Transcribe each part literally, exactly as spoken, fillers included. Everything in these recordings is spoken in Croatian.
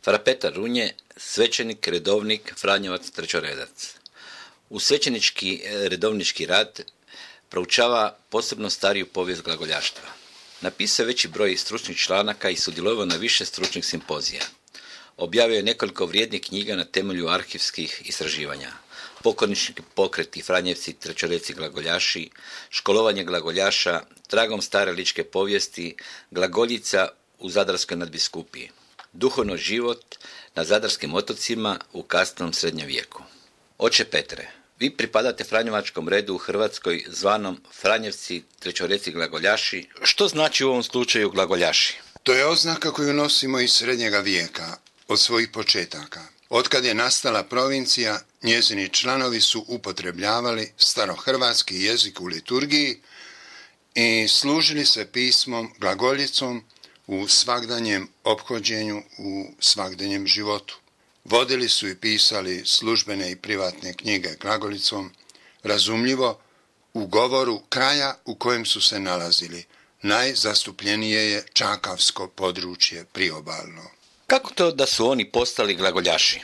fra Petar Runje, svećenik, redovnik, franjevac, trećoredac. U svećenički redovnički rad proučava posebno stariju povijest glagoljaštva. Napisao je veći broj stručnih članaka i sudjelovao na više stručnih simpozija. Objavio je nekoliko vrijednih knjiga na temelju arhivskih istraživanja. Pokornički pokreti, franjevci, trećoredci, glagoljaši, školovanje glagoljaša, tragom stare ličke povijesti, glagoljica u Zadarskoj nadbiskupiji, duhovno život na Zadarskim otocima u kasnom srednjem vijeku. Oče Petre, vi pripadate franjevačkom redu u Hrvatskoj zvanom franjevci, trećoredci, glagoljaši. Što znači u ovom slučaju glagoljaši? To je oznaka koju nosimo iz srednjega vijeka, od svojih početaka. Otkad je nastala provincija, njezini članovi su upotrebljavali starohrvatski jezik u liturgiji i služili se pismom, glagoljicom u svagdanjem ophođenju, u svagdanjem životu. Vodili su i pisali službene i privatne knjige glagolicom, razumljivo u govoru kraja u kojem su se nalazili. Najzastupljenije je čakavsko područje priobalno. Kako to da su oni postali glagoljaši?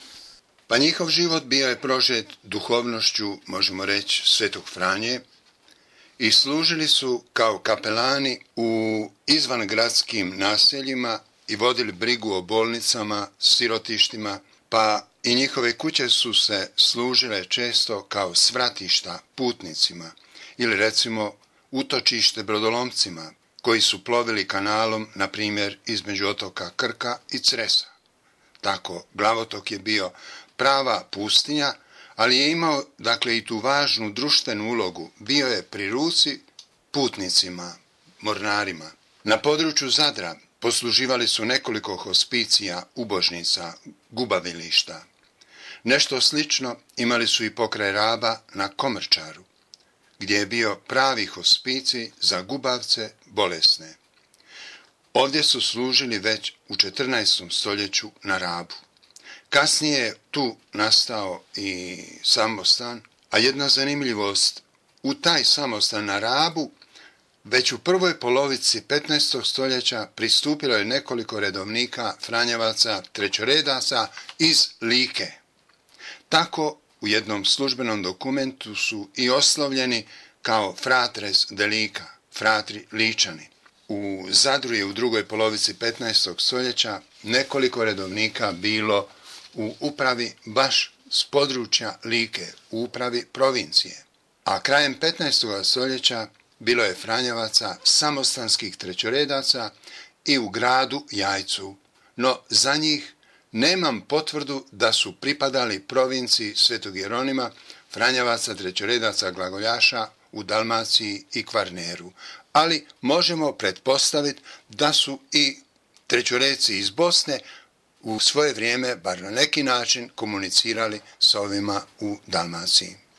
Pa njihov život bio je prožet duhovnošću, možemo reći, Svetog Franje, i služili su kao kapelani u izvangradskim naseljima i vodili brigu o bolnicama, sirotištima, pa i njihove kuće su se služile često kao svratišta putnicima ili recimo utočište brodolomcima koji su plovili kanalom, na primjer, između otoka Krka i Cresa. Tako, Glavotok je bio prava pustinja, ali je imao, dakle, i tu važnu društvenu ulogu. Bio je pri ruci putnicima, mornarima. Na području Zadra posluživali su nekoliko hospicija, ubožnica, gubavilišta. Nešto slično imali su i pokraj Raba na Komrčaru, gdje je bio pravi hospicij za gubavce bolesne. Ovdje su služili već u četrnaestom stoljeću na Rabu. Kasnije je tu nastao i samostan, a jedna zanimljivost, u taj samostan na Rabu već u prvoj polovici petnaestog stoljeća pristupilo je nekoliko redovnika, franjevaca, trećoredaca iz Like. Tako u jednom službenom dokumentu su i oslovljeni kao fratres de Lika, fratri Ličani. U Zadru je u drugoj polovici petnaestog stoljeća nekoliko redovnika bilo u upravi baš s područja Like, u upravi provincije. A krajem petnaestog stoljeća bilo je franjevaca, samostanskih trećoredaca i u gradu Jajcu, no za njih nemam potvrdu da su pripadali provinciji Svetog Jeronima, franjevaca, trećoredaca, glagoljaša u Dalmaciji i Kvarneru, ali možemo pretpostaviti da su i trećoredci iz Bosne u svoje vrijeme, bar na neki način, komunicirali s ovima u Dalmaciji.